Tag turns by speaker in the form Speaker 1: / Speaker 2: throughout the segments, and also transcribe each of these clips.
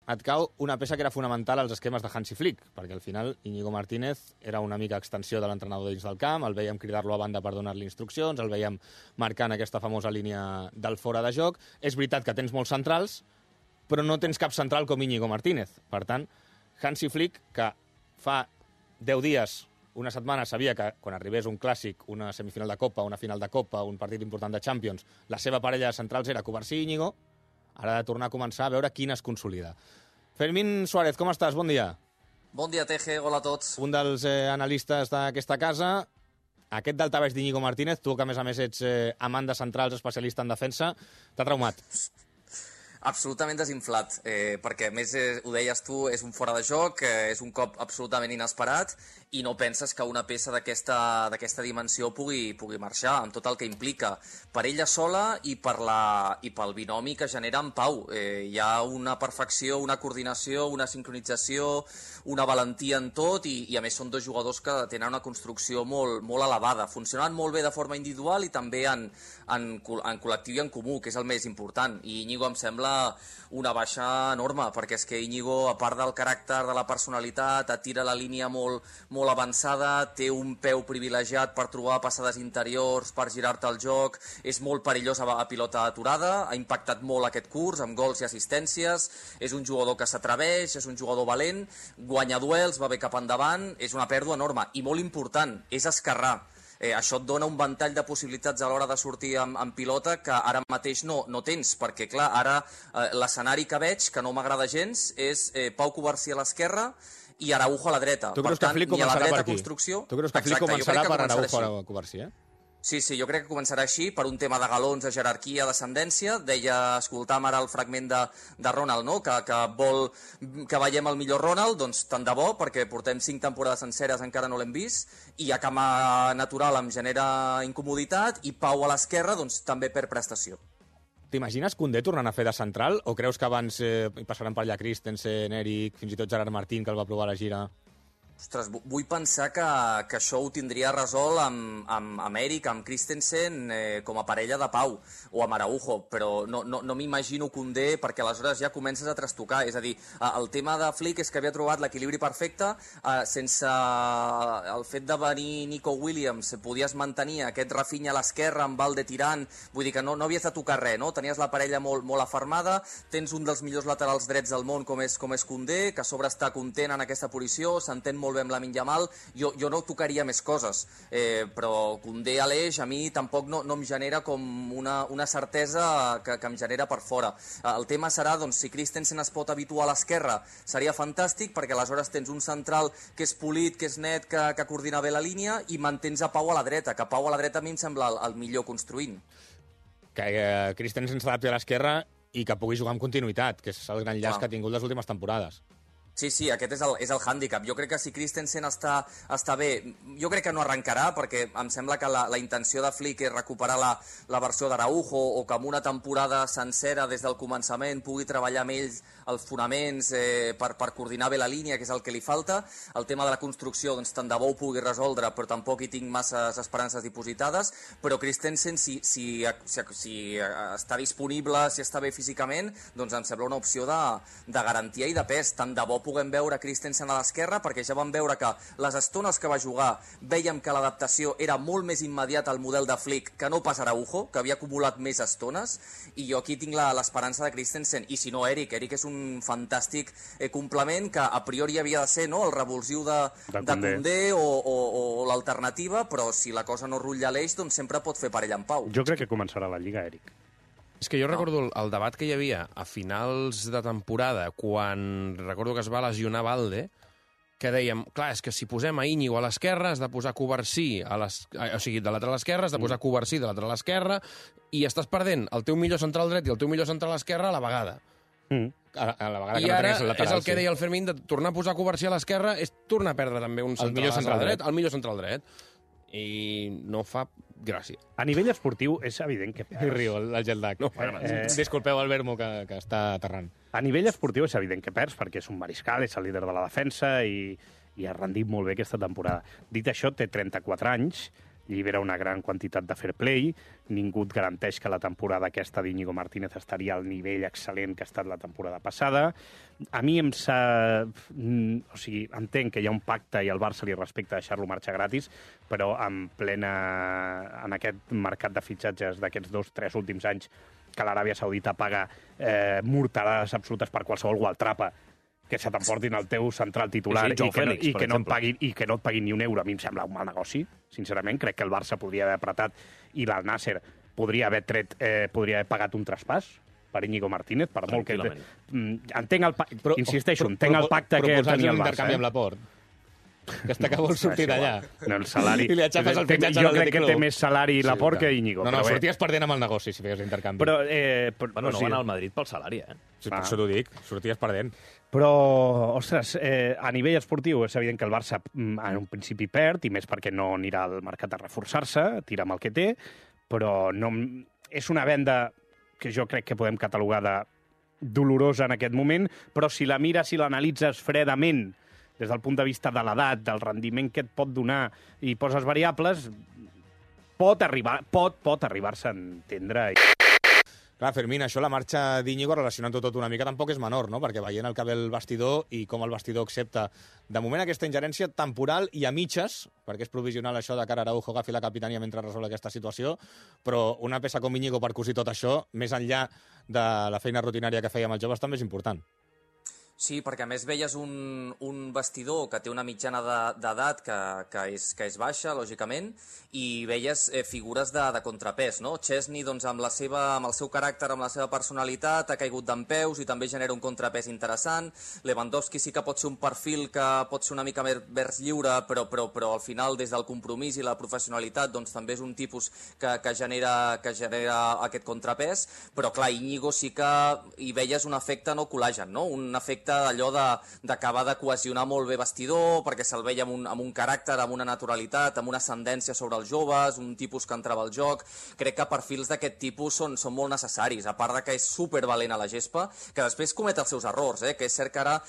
Speaker 1: et cau una peça que era fonamental als esquemes de Hansi Flick, perquè al final Íñigo Martínez era una mica extensió de l'entrenador dins del camp, el veiem cridar-lo a banda per donar-li instruccions, el veiem marcant aquesta famosa línia del fora de joc. És veritat que tens molts centrals, però no tens cap central com Íñigo Martínez. Per tant, Hansi Flick, que fa 10 dies, una setmana, sabia que quan arribés un clàssic, una semifinal de Copa, una final de Copa, un partit important de Champions, la seva parella de centrals era Covarsí i Íñigo, ara ha de tornar a començar a veure quina es consolida. Fermín Suárez, com estàs? Bon dia.
Speaker 2: Bon dia, Teje. Hola a tots.
Speaker 1: Un dels analistes d'aquesta casa. Aquest daltabaix d'Íñigo Martínez, tu que a més ets amant de centrals, especialista en defensa, t'ha traumat?
Speaker 2: Absolutament desinflat, perquè a més ho deies tu, és un fora de joc, és un cop absolutament inesperat i no penses que una peça d'aquesta dimensió pugui marxar, amb tot el que implica per ella sola i pel binomi que genera en Pau. Hi ha una perfecció, una coordinació, una sincronització, una valentia en tot i a més són dos jugadors que tenen una construcció molt, molt elevada, funcionant molt bé de forma individual i també en col·lectiu i en comú, que és el més important. I Íñigo em sembla una baixa enorme, perquè és que Íñigo, a part del caràcter, de la personalitat, et tira la línia molt, molt avançada, té un peu privilegiat per trobar passades interiors, per girar-te el joc, és molt perillós a pilota aturada, ha impactat molt aquest curs, amb gols i assistències, és un jugador que s'atreveix, és un jugador valent, guanya duels, va bé cap endavant, és una pèrdua enorme, i molt important, és esquerrà. Això et dona un ventall de possibilitats a l'hora de sortir amb pilota que ara mateix no tens, perquè clar, ara l'escenari que veig, que no m'agrada gens, és Pau Covarsí a l'esquerra i Araujo a la dreta.
Speaker 1: Tu creus que Flick començarà per aquí? Tu creus que Flick començarà per Araujo a Covarsí,
Speaker 2: Sí, jo crec que començarà així, per un tema de galons, de jerarquia, d'ascendència. Escoltàvem ara el fragment de Ronald, no? que vol que veiem el millor Ronald, doncs tant de bo, perquè portem 5 temporades senceres, encara no l'hem vist, i a cama natural em genera incomoditat, i Pau a l'esquerra doncs també per prestació.
Speaker 1: T'imagines Koundé tornant a fer de central, o creus que abans passaran per allà Christensen, Eric, fins i tot Gerard Martín, que el va provar a la gira?
Speaker 2: Ostres, vull pensar que això ho tindria resolt amb Eric, amb Christensen, com a parella de Pau, o amb Araujo, però no m'imagino Koundé, perquè aleshores ja comences a trastocar. És a dir, el tema de Flick és que havia trobat l'equilibri perfecte, sense el fet de venir Nico Williams, podies mantenir aquest Rafinha a l'esquerra amb Valde tirant, vull dir que no havies de tocar res, no? Tenies la parella molt afermada, tens un dels millors laterals drets del món com és Koundé, que a sobre està content en aquesta posició, s'entén molt bé amb Lamine Yamal, jo no tocaria més coses, però Koundé a l'eix a mi tampoc no em genera com una certesa que em genera per fora. El tema serà, doncs, si Christensen es pot habituar a l'esquerra, seria fantàstic, perquè aleshores tens un central que és polit, que és net, que coordina bé la línia, i mantens a Pau a la dreta, que Pau a la dreta a mi em sembla el millor construint.
Speaker 1: Que Christensen s'adapti a l'esquerra i que pugui jugar amb continuïtat, que és el gran llaç que ha tingut les últimes temporades.
Speaker 2: Sí, aquest és el hàndicap. Jo crec que si Christensen està bé, jo crec que no arrencarà, perquè em sembla que la intenció de Flick és recuperar la versió d'Araujo, o que amb una temporada sencera des del començament pugui treballar amb ells els fonaments per coordinar bé la línia, que és el que li falta. El tema de la construcció, doncs tant de bo ho pugui resoldre, però tampoc hi tinc masses esperances dipositades. Però Christensen, si està disponible, si està bé físicament, doncs em sembla una opció de garantia i de pes. Tant de bo puguem veure Christensen a l'esquerra, perquè ja vam veure que les estones que va jugar vèiem que l'adaptació era molt més immediata al model de Flick que no pas Araujo, que havia acumulat més estones, i jo aquí tinc l'esperança de Christensen. I si no, Eric és un fantàstic complement, que a priori havia de ser, no?, el revulsiu de Koundé o l'alternativa, però si la cosa no rutlla l'eix, doncs sempre pot fer parella amb Pau.
Speaker 3: Jo crec que començarà la Lliga, Eric.
Speaker 4: És que jo recordo el debat que hi havia a finals de temporada, quan recordo que es va lesionar Valde, que dèiem, clar, és que si posem a Íñigo a l'esquerra, has de posar Covarsí o sigui, de lateral esquerra, has de posar Covarsí de lateral esquerra, i estàs perdent el teu millor central dret i el teu millor central esquerra a la vegada.
Speaker 1: A la vegada
Speaker 4: I
Speaker 1: que no
Speaker 4: ara
Speaker 1: tenies el lateral,
Speaker 4: és el que deia el Fermín, de tornar a tornar a Covarsí a l'esquerra és tornar a perdre també un central dret, el millor central dret. I no fa gràcia.
Speaker 3: A nivell esportiu és evident que perds.
Speaker 1: I riu, el jet lag.
Speaker 4: No fa gràcia.
Speaker 1: Disculpeu el Vermo, que està aterrant.
Speaker 3: A nivell esportiu és evident que perds, perquè és un mariscal, és el líder de la defensa i ha rendit molt bé aquesta temporada. Dit això, té 34 anys, llibera una gran quantitat de fair play, ningú et garanteix que la temporada aquesta d'Íñigo Martínez estaria al nivell excel·lent que ha estat la temporada passada. A mi entenc que hi ha un pacte i el Barça li respecta deixar-lo marxar gratis, però en aquest mercat de fitxatges d'aquests 2-3 últims anys que l'Aràbia Saudita paga morterades absolutes per qualsevol gualtrapa, que se t'emportin el teu central titular i que no et paguin ni un euro. A mi em sembla un mal negoci, sincerament. Crec que el Barça podria haver apretat i l'Al Nasser podria haver pagat un traspàs per Íñigo Martínez, per molt que... Entenc el pacte que tenia el Barça.
Speaker 1: Proposar-li un intercanvi amb l'Aport. Aquesta que vol sortir d'allà.
Speaker 3: No, el salari...
Speaker 1: I li aixafes el fitxatge
Speaker 3: jo crec que té més salari l'Aport que Íñigo.
Speaker 1: No, sorties perdent amb el negoci si feies l'intercanvi.
Speaker 5: Bueno, no va anar al Madrid pel salari,
Speaker 1: Sí, per això t'ho dic, sorties perdent.
Speaker 3: Però, ostres, a nivell esportiu és evident que el Barça en un principi perd, i més perquè no anirà al mercat a reforçar-se, tira amb el que té, però no, és una venda que jo crec que podem catalogar de dolorosa en aquest moment, però si la mires i l'analitzes fredament des del punt de vista de l'edat, del rendiment que et pot donar i poses variables, pot arribar-se a entendre.
Speaker 1: Clar, Fermín, això la marxa d'Íñigo, relacionant-ho tot una mica, tampoc és menor, no? Perquè veient el que ve el vestidor i com el vestidor accepta de moment aquesta ingerència temporal i a mitges, perquè és provisional això de que Araujo agafi la capitania mentre resol aquesta situació, però una peça com Íñigo per cosir tot això, més enllà de la feina rutinària que feia amb els joves, també és important.
Speaker 2: Sí, perquè a més veies un vestidor que té una mitjana d'edat que és baixa, lògicament, i veies figures de contrapès, no? Chesney, doncs, amb el seu caràcter, amb la seva personalitat, ha caigut dempeus i també genera un contrapès interessant. Lewandowski sí que pot ser un perfil que pot ser una mica més lliure, però al final, des del compromís i la professionalitat, doncs també és un tipus que genera aquest contrapès, però clar, Íñigo sí que hi veies un efecte no col·lagen, no? Un efecte d'allò d'acabar de cohesionar molt bé vestidor, perquè se'l veia amb un caràcter, amb una naturalitat, amb una ascendència sobre els joves, un tipus que entrava al joc. Crec que perfils d'aquest tipus són molt necessaris, a part de que és supervalent a la gespa, que després comet els seus errors, que és cert que ara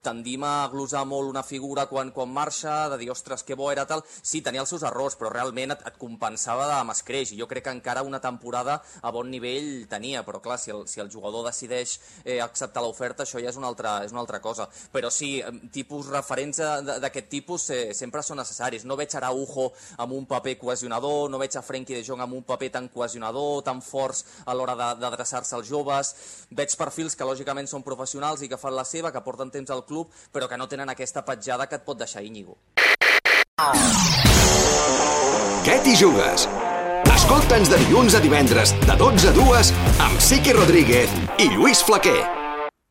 Speaker 2: tendim a glosar molt una figura quan marxa, de dir, ostres, que bo era tal. Sí, tenia els seus errors, però realment et compensava amb escreix, i jo crec que encara una temporada a bon nivell tenia, però clar, si el jugador decideix acceptar l'oferta, això ja és una altra cosa. Però sí, tipus referents d'aquest tipus sempre són necessaris. No veig Araujo amb un paper cohesionador, no veig a Frenkie de Jong amb un paper tan cohesionador, tan forts a l'hora d'adreçar-se als joves. Veig perfils que lògicament són professionals i que fan la seva, que porten temps al club, però que no tenen aquesta petjada que et pot deixar Íñigo.
Speaker 6: Què t'hi jugues? Escolta'ns de dilluns a divendres de 12 a 2 amb Sique Rodríguez i Lluís Flaquer.